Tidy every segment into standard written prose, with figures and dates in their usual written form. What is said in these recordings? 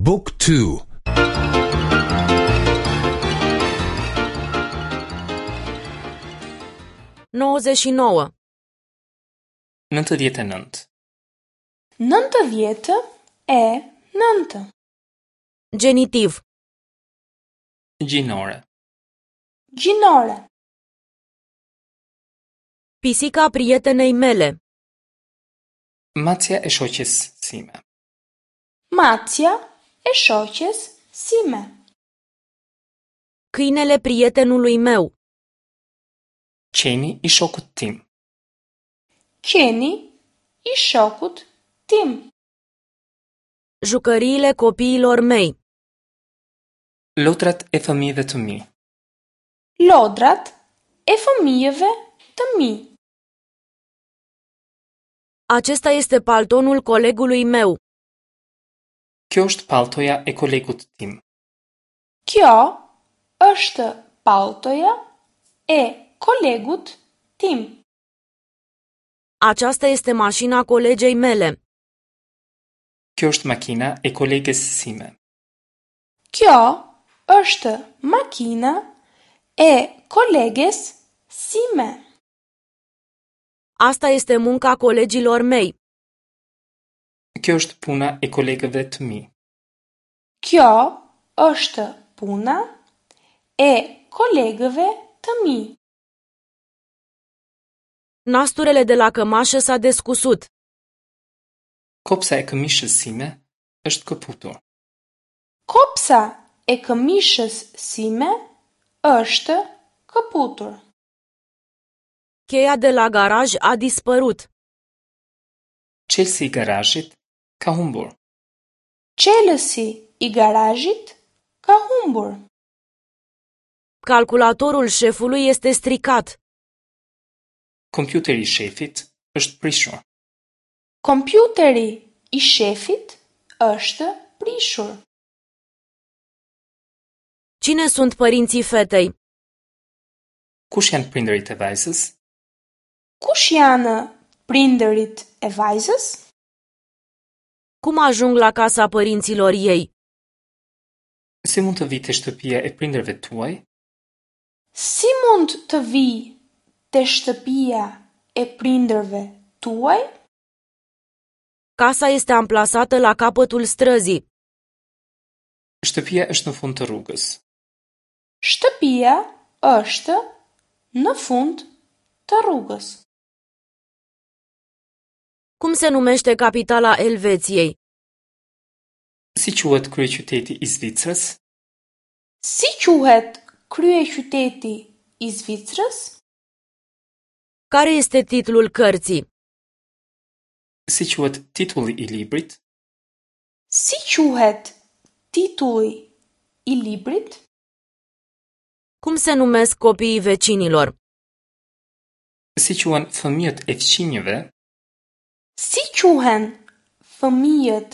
บุ๊กทู 99. 99. 99. Genitiv. Gjinore. Gjinore. Pisica prietenei mele. Macja e shoqes sime. Macja e shoqes sime. Câinele prietenului meu. Qeni i shokut tim. Qeni i shokut tim. Jucăriile copiilor mei. Lodrat e fëmijëve të mi. Lodrat e fëmijëve të mi. Acesta este paltonul colegului meu. Kjo është palltoja e kolegut tim. Kjo është palltoja e kolegut tim. Aceasta este mașina colegei mele. Kjo është makina e koleges sime. Kjo është makina e koleges sime. Asta este munca colegilor mei. Kjo është puna e kolegëve të mi. Kjo është puna e kolegëve të mi. Nasturele de la cămașă s-a descusut. Kopsa e këmishës sime është këputur. Kopsa e këmishës sime është këputur. Cheia de la garaj a dispărut. Çelësi i garazhit ka humbur. Çelësi i garazhit ka humbur. Calculatorul șefului este stricat. Kompjuteri i shefit është prishur. Kompjuteri i shefit është prishur. Cine sunt părinții fetei? Kush janë prindërit e vajzës? Kush janë prindërit e vajzës? Cum ajung la casa părinților ei? Si mund të vij te shtëpia e prindërve tuaj? Si mund të vij te shtëpia e prindërve tuaj? Casa este amplasată la capătul străzii. Shtëpia është në fund të rrugës. Shtëpia është në fund të rrugës. Cum se numește capitala Elveției? Si quhet kryeqyteti i Zvicrës? Si quhet kryeqyteti i Zvicrës? Care este titlul cărții? Si quhet titulli i librit? Si quhet titulli i librit? Cum se numesc copiii vecinilor? Si quhen fëmijët e fqinjëve? Si quhen fëmijët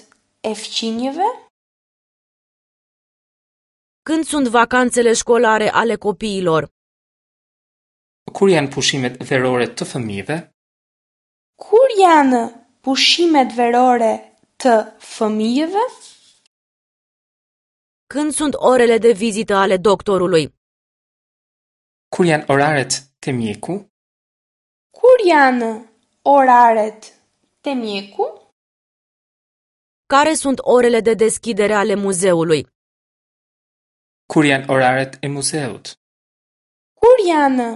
e fqinjëve? Când sunt vacanțele școlare ale copiilor? Kur janë pushimet verore të fëmijëve? Kur janë pushimet verore të fëmijëve? Când sunt orele de vizită ale doctorului? Kur janë oraret te mjeku? Kur janë oraret te mjeku? Care sunt orele de deschidere ale muzeului? Kur janë oraret e muzeut? Kur janë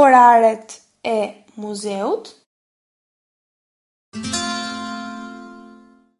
oraret e muzeut?